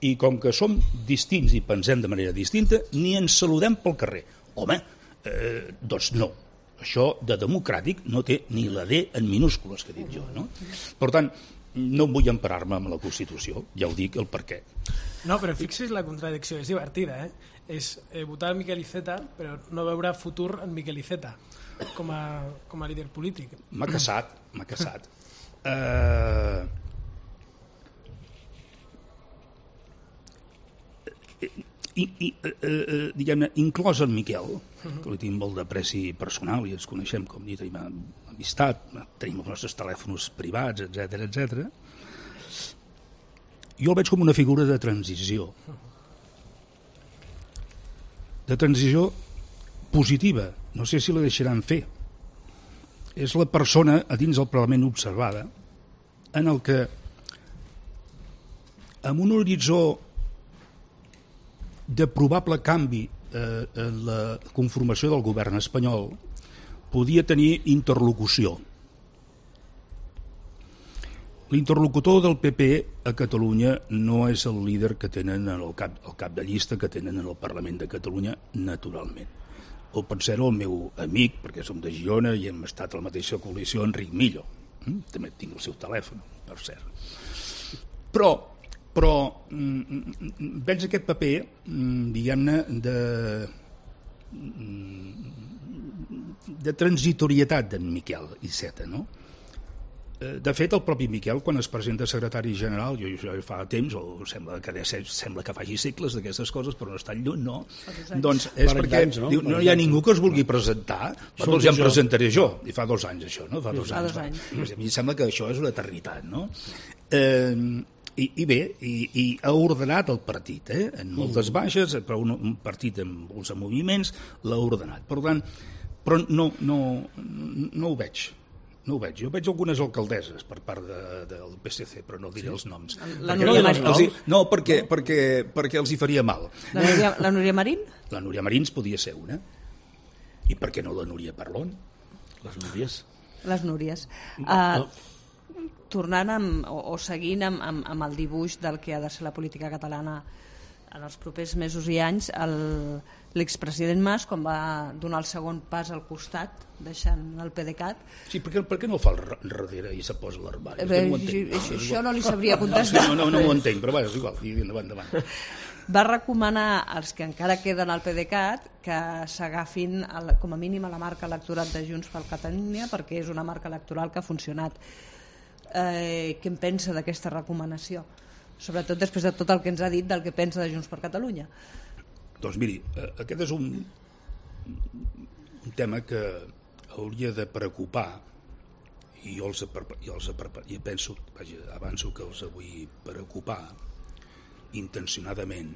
Speaker 5: i com que som distints i pensem de manera distinta, ni ens saludem pel carrer. Home, eh, doncs no. Això de democràtic no té ni la D en minúscules, que dic jo, no? Per tant, no vull emparar-me amb la Constitució, ja ho dic, el per què.
Speaker 6: No, però fixi's la contradicció, és divertida, eh? És eh, votar Miquel Iceta, però no veure futur en Miquel Iceta com a, com a líder polític.
Speaker 5: M'ha casat, m'ha casat. Uh... I, i uh, uh, diguem-ne, inclòs en Miquel, que li tinc molt d'apreci personal i ens coneixem, com dit, tenim amistat, tenim els nostres telèfons privats, etcètera, etcètera. Jo el veig com una figura de transició. De transició positiva. No sé si la deixaran fer. És la persona a dins del Parlament observada en el que amb un horitzó de probable canvi eh, en la conformació del govern espanyol podia tenir interlocució. L'interlocutor del P P a Catalunya no és el líder que tenen el cap, el cap de llista que tenen en el Parlament de Catalunya naturalment. O pot ser el meu amic, perquè som de Girona i hem estat a la mateixa coalició, Enric Millo. Mm? També tinc el seu telèfon, per cert. Però però mm, veig aquest paper, mm, diguem-ne, de, mm, de transitorietat d'en Miquel Iceta, no? De fet, el propi Miquel, quan es presenta secretari general, jo, jo fa temps, o sembla que, sembla que faci segles d'aquestes coses, però no és tan lluny, no? Doncs és perquè anys, no? Diu, no hi ha ningú que es vulgui presentar, però doncs ja em presentaré jo. I fa dos anys, això, no? Fa dos anys. Fa dos anys. A mi em sembla que això és una eternitat, no? Eh, i, i bé, i, i ha ordenat el partit, eh? En moltes baixes, però un, un partit amb molts moviments l'ha ordenat. Per tant, però no, no, no ho veig. No ho veig. Jo veig algunes alcaldesses per part de, del P S C, però no diré sí. els noms.
Speaker 2: La Núria Marín?
Speaker 5: No, no perquè, perquè, perquè els hi faria mal.
Speaker 2: La Núria, la Núria Marín?
Speaker 5: La Núria Marín podia ser una. I per què no la Núria Parlon?
Speaker 1: Les Núries.
Speaker 2: Les Núries. Uh, tornant amb, o, o seguint amb, amb, amb el dibuix del que ha de ser la política catalana en els propers mesos i anys, l'expresident Mas, quan va donar el segon pas al costat, deixant el PDeCAT...
Speaker 5: Sí, per què, per què no el fa al darrere i se posa a l'armari?
Speaker 2: Eh, no això, això no li sabria contestar.
Speaker 5: No, no, no, no ho entenc, però va, és igual, endavant, endavant.
Speaker 2: Va recomanar als que encara queden al PDeCAT que s'agafin com a mínim a la marca electoral de Junts per Catalunya, perquè és una marca electoral que ha funcionat. Eh, què en pensa d'aquesta recomanació? Sobretot després de tot el que ens ha dit del que pensa de Junts per Catalunya.
Speaker 5: Doncs miri, aquest és un, un tema que hauria de preocupar i jo els, jo els i penso, vaja, avanço que els vull preocupar intencionadament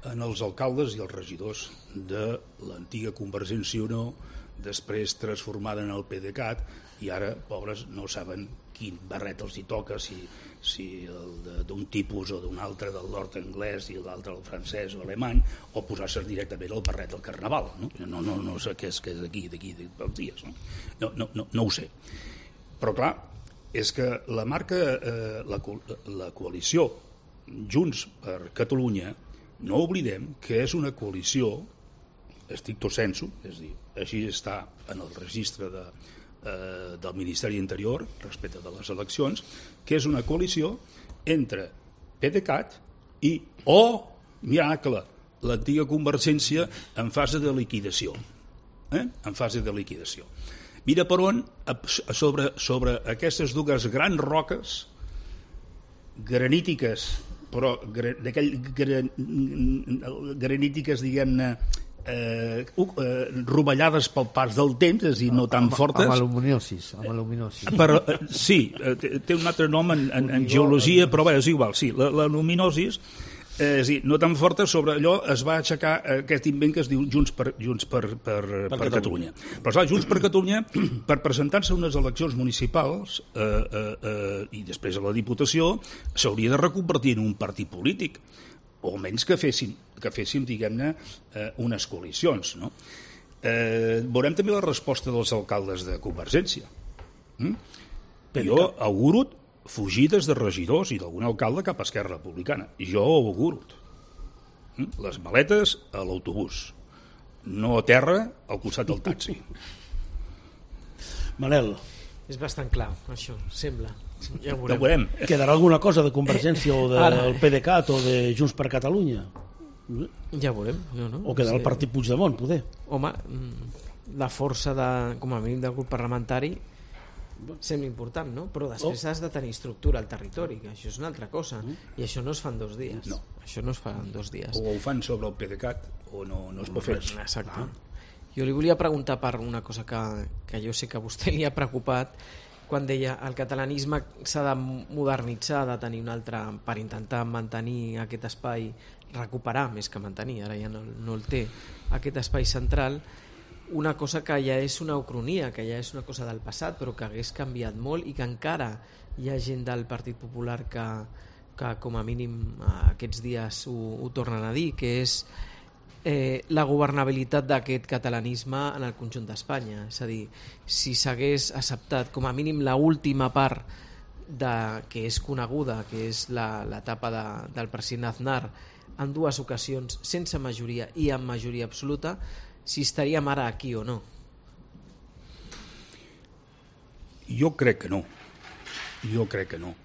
Speaker 5: en els alcaldes i els regidors de l'antiga Convergència i Unió, després transformada en el PDeCAT, i ara, pobres, no saben quin barret els hi toca, si, si el d'un tipus o d'un altre del nord anglès i l'altre el francès o alemany, o posar-se directament el barret del carnaval. No, no, no, no sé què és, què és d'aquí, d'aquí, dels dies. No? No, no, no, no ho sé. Però clar, és que la marca, eh, la, la coalició Junts per Catalunya, no oblidem que és una coalició stricto sensu, és a dir, així està en el registre de, eh, del Ministeri Interior respecte de les eleccions, que és una coalició entre PDeCAT i, oh, miracle, l'antiga Convergència en fase de liquidació. Eh? En fase de liquidació. Mira per on, sobre, sobre aquestes dues grans roques granítiques, però d'aquell gran, granítiques, diguem-ne, Eh, uh, eh, rovellades pel pas del temps, és a dir, no tan fortes.
Speaker 4: Amb aluminiosis. Amb aluminiosis.
Speaker 5: Però, eh, sí, eh, té un altre nom en, en, en geologia, però bé, és igual, sí, l'aluminosis, eh, és a dir, no tan forta, sobre allò es va aixecar aquest invent que es diu Junts per, Junts per, per, per, per Catalunya. Però clar, Junts per Catalunya, per presentar-se a unes eleccions municipals eh, eh, eh, i després a la Diputació, s'hauria de reconvertir en un partit polític, o almenys que fessin, que fessin diguem-ne, eh, unes coalicions. No? Eh, veurem també la resposta dels alcaldes de Convergència. Mm? Jo auguro fugides de regidors i d'algun alcalde cap a Esquerra Republicana. Jo ho auguro. Mm? Les maletes a l'autobús. No a terra, al costat del taxi.
Speaker 1: Manel.
Speaker 3: És bastant clar, això, sembla. Ja ho
Speaker 5: Ja ho veurem.
Speaker 1: Quedarà alguna cosa de Convergència o del PDeCAT o de Junts per Catalunya?
Speaker 3: Ja ho veurem. No, no?
Speaker 1: O quedarà el
Speaker 3: Sí.
Speaker 1: partit Puigdemont, poder?
Speaker 3: Home, la força de, com a mínim del grup parlamentari sembla important, no? Però després has de tenir estructura al territori, que això és una altra cosa, i això no es fa en dos dies.
Speaker 5: No.
Speaker 3: Això no es fa en dos dies.
Speaker 5: O ho fan sobre el PDeCAT o no, no es pot fer res.
Speaker 3: Exacte. Jo li volia preguntar per una cosa que, que jo sé que a vostè li ha preocupat, quan deia el catalanisme s'ha de modernitzar, ha de tenir un altre, per intentar mantenir aquest espai, recuperar més que mantenir, ara ja no, no el té, aquest espai central, una cosa que ja és una ucronia, que ja és una cosa del passat, però que hagués canviat molt i que encara hi ha gent del Partit Popular que, que com a mínim aquests dies ho, ho tornen a dir, que és eh, la governabilitat d'aquest catalanisme en el conjunt d'Espanya. És a dir, si s'hagués acceptat com a mínim la última part de, que és coneguda, que és l'etapa de, del president Aznar, en dues ocasions sense majoria i amb majoria absoluta, si estaríem ara aquí o no.
Speaker 5: Jo crec que no. Jo crec que no.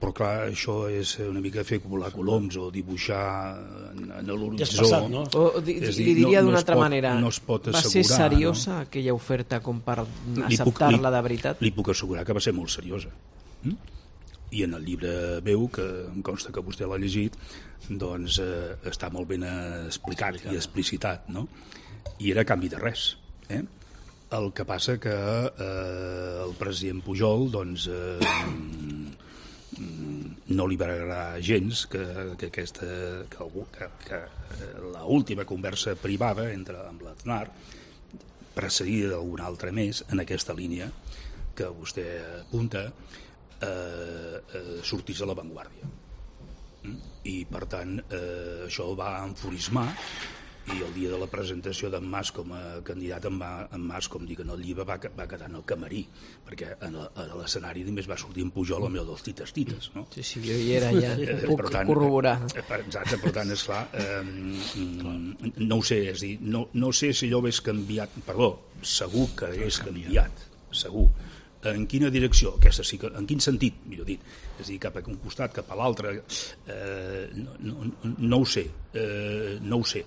Speaker 5: Però clar, això és una mica fer volar coloms o dibuixar en, en l'horitzó.
Speaker 1: Ja és passat, no?
Speaker 3: O, di,
Speaker 5: És dir,
Speaker 3: li diria
Speaker 5: no- no
Speaker 3: d'una
Speaker 5: es
Speaker 3: altra
Speaker 5: pot-
Speaker 3: manera,
Speaker 5: no es pot
Speaker 3: va ser
Speaker 5: assegurar,
Speaker 3: seriosa
Speaker 5: no?
Speaker 3: aquella oferta com per
Speaker 5: Li puc-
Speaker 3: acceptar-la
Speaker 5: li-
Speaker 3: de veritat?
Speaker 5: Li puc assegurar que va ser molt seriosa. Mm? I en el llibre meu, que em consta que vostè l'ha llegit, doncs eh, està molt ben explicat i explicitat, no? I era a canvi de res. Eh? El que passa que eh, el president Pujol doncs, eh, no li va agradar gens que, que aquesta que, algú, que, que l'última conversa privada entre amb l'Aznar, precedida d'alguna altra més en aquesta línia que vostè apunta, eh, eh, sortís a l'avantguàrdia. Mm? I per tant eh, això el va enfurismar, i el dia de la presentació d'en Mas com a candidat, en, va, en Mas, com dic en el llibre, va, va quedar en el camarí, perquè en el- a l'escenari només va sortir en Pujol el meu dels tites-tites, no?
Speaker 3: Sí, sí, jo hi era ja,
Speaker 5: Eh,
Speaker 3: puc
Speaker 5: per tant,
Speaker 3: corroborar.
Speaker 5: eh, per- Exacte, per tant, esclar, eh, mm, no ho sé, és a dir, no, no sé si allò hagués canviat, perdó, segur que hagués canviat, segur. En quina direcció? Aquesta sí que, en quin sentit, millor dit? És a dir, cap a un costat, cap a l'altre, eh, no, no, no ho sé, eh, no ho sé.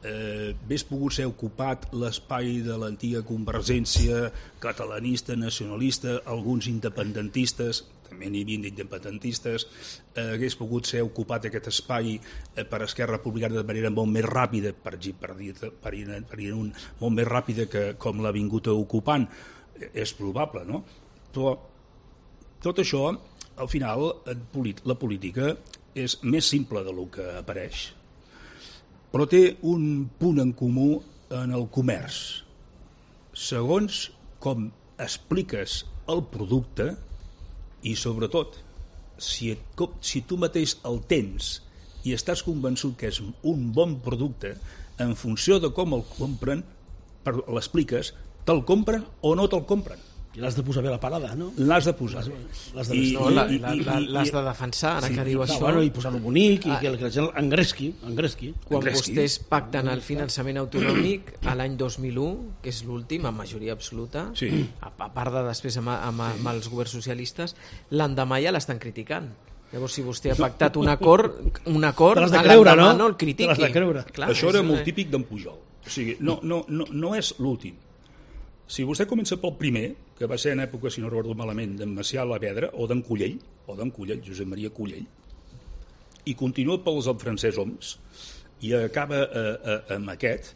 Speaker 5: Eh, hagués pogut ser ocupat l'espai de l'antiga Convergència catalanista, nacionalista, alguns independentistes, també n'hi havia d'independentistes, eh, hagués pogut ser ocupat aquest espai eh, per Esquerra Republicana de manera molt més ràpida, per, per, dir, per, ir, per ir un, molt més ràpida que com l'ha vingut ocupant, eh, és probable, no? Però tot això, al final, la política és més simple del que apareix, però té un punt en comú en el comerç. Segons com expliques el producte i, sobretot, si, et, si tu mateix el tens i estàs convençut que és un bon producte, en funció de com el compren, l'expliques, te'l compren o no te'l compren.
Speaker 1: I l'has de posar bé la parada, no?
Speaker 5: L'has de posar bé.
Speaker 1: L'has de,
Speaker 5: I-
Speaker 3: No,
Speaker 1: I,
Speaker 3: la-
Speaker 5: i-
Speaker 3: la-
Speaker 5: i-
Speaker 3: la-
Speaker 5: i-
Speaker 3: l'has de defensar, ara
Speaker 5: Sí,
Speaker 3: que diu
Speaker 1: no,
Speaker 3: això.
Speaker 1: bueno, i posar-lo bonic i
Speaker 3: Ah.
Speaker 1: que, que la gent engresqui, engresqui.
Speaker 3: Quan
Speaker 5: Engresqui.
Speaker 3: vostès pacten el finançament autonòmic a l'any dos mil u, que és l'últim, amb majoria absoluta,
Speaker 5: Sí.
Speaker 3: a, a part de després amb, amb, amb els governs socialistes, l'endemà ja l'estan criticant. Llavors, si vostè ha pactat un acord, un acord,
Speaker 1: Te l'has de
Speaker 3: a
Speaker 1: creure,
Speaker 3: l'endemà
Speaker 1: no?
Speaker 3: no el critiqui.
Speaker 1: Te l'has de creure.
Speaker 3: Clar,
Speaker 5: Això
Speaker 3: és
Speaker 5: era
Speaker 3: una-
Speaker 5: molt típic d'en Pujol. O sigui, no, no, no, no és l'últim. Si vostè comença pel primer, que va ser en època, si no recordo malament, d'en Macià Lavedra, o d'en Collell, o d'en Collell, Josep Maria Collell, i continua pels el Francesc Homs, i acaba eh, eh, amb aquest,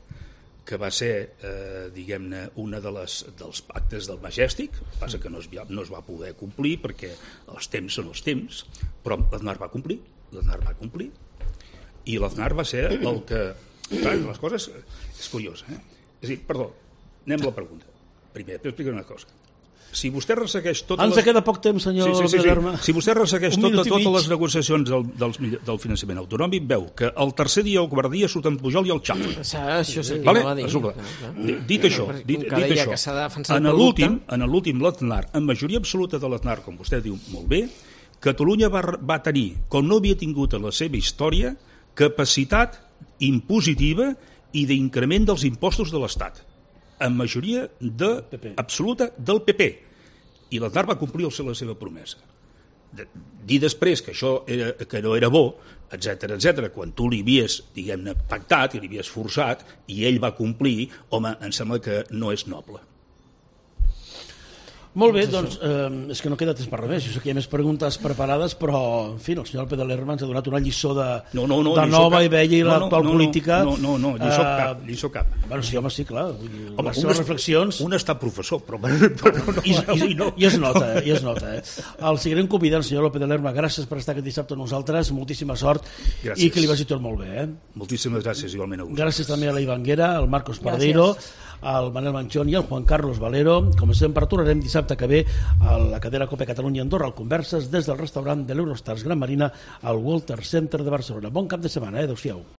Speaker 5: que va ser, eh, diguem-ne, una de les, dels pactes del Majestic, passa que no es, no es va poder complir perquè els temps són els temps, però l'Aznar va complir, l'Aznar va complir, i l'Aznar va ser el que... Clar, les coses... És curiós, eh? És a dir, perdó, anem a la pregunta. Primer, t'explico una cosa. Si vostè ressegueix totes
Speaker 1: Ens
Speaker 5: les...
Speaker 1: queda poc temps, senyor
Speaker 5: Sí, sí, sí,
Speaker 1: Lerma.
Speaker 5: sí. Si vostè ressegueix
Speaker 1: Un
Speaker 5: tota,
Speaker 1: minut i
Speaker 5: totes
Speaker 1: mig.
Speaker 5: les negociacions del, dels, mill- del finançament autonòmic, veu que el tercer dia o quart dia surten Pujol i el Xafa.
Speaker 3: Això és el que
Speaker 5: Vale?
Speaker 3: va dir.
Speaker 5: Resulta.
Speaker 3: Clar, clar.
Speaker 5: Di- Dit això,
Speaker 3: Com
Speaker 5: dit,
Speaker 3: que
Speaker 5: dit
Speaker 3: deia
Speaker 5: això,
Speaker 3: que s'ha de defensar
Speaker 5: en
Speaker 3: el
Speaker 5: l'últim,
Speaker 3: producte.
Speaker 5: en l'últim l'Aznar, en majoria absoluta de l'Aznar, com vostè diu molt bé, Catalunya va, va tenir, com no havia tingut a la seva història, capacitat impositiva i d'increment dels impostos de l'Estat, en majoria de,
Speaker 1: P P.
Speaker 5: absoluta del P P. I l'Aznar va complir la seva promesa. De, dir després que això era, que no era bo, etc etc, quan tu li havies, diguem-ne, pactat i li havies forçat i ell va complir, home, em sembla que no és noble.
Speaker 1: Molt bé, doncs, eh, és que no queda temps per res més. Jo sé que hi ha més preguntes preparades, però, en fi, el senyor Pedelerma ens ha donat una lliçó de,
Speaker 5: no, no, no,
Speaker 1: de nova
Speaker 5: cap.
Speaker 1: i vella i
Speaker 5: no,
Speaker 1: l'actual
Speaker 5: no, no,
Speaker 1: política.
Speaker 5: No, no, no, lliçó
Speaker 1: eh,
Speaker 5: cap, lliçó cap.
Speaker 1: Bueno, sí, home, sí, clar. Vull dir,
Speaker 5: home,
Speaker 1: les seves
Speaker 5: és,
Speaker 1: reflexions...
Speaker 5: Un està professor, però... però no,
Speaker 1: I, i, no. I es nota, eh? I es nota, eh? El seguirem convidant, senyor López de Lerma. Gràcies per estar aquest dissabte amb nosaltres. Moltíssima sort. Gràcies. I que li vagi tot molt bé, eh?
Speaker 5: Moltíssimes gràcies, igualment a vosaltres.
Speaker 1: Gràcies també a la Ivanguera, al Marcos Pardeiro, al Manel Manchón i al Juan Carlos Valero. Com sempre, tornarem dissabte que ve a la cadena Cope Catalunya Andorra al Converses des del restaurant de l'Eurostars Gran Marina al Walter Center de Barcelona. Bon cap de setmana, eh? Adéu-siau.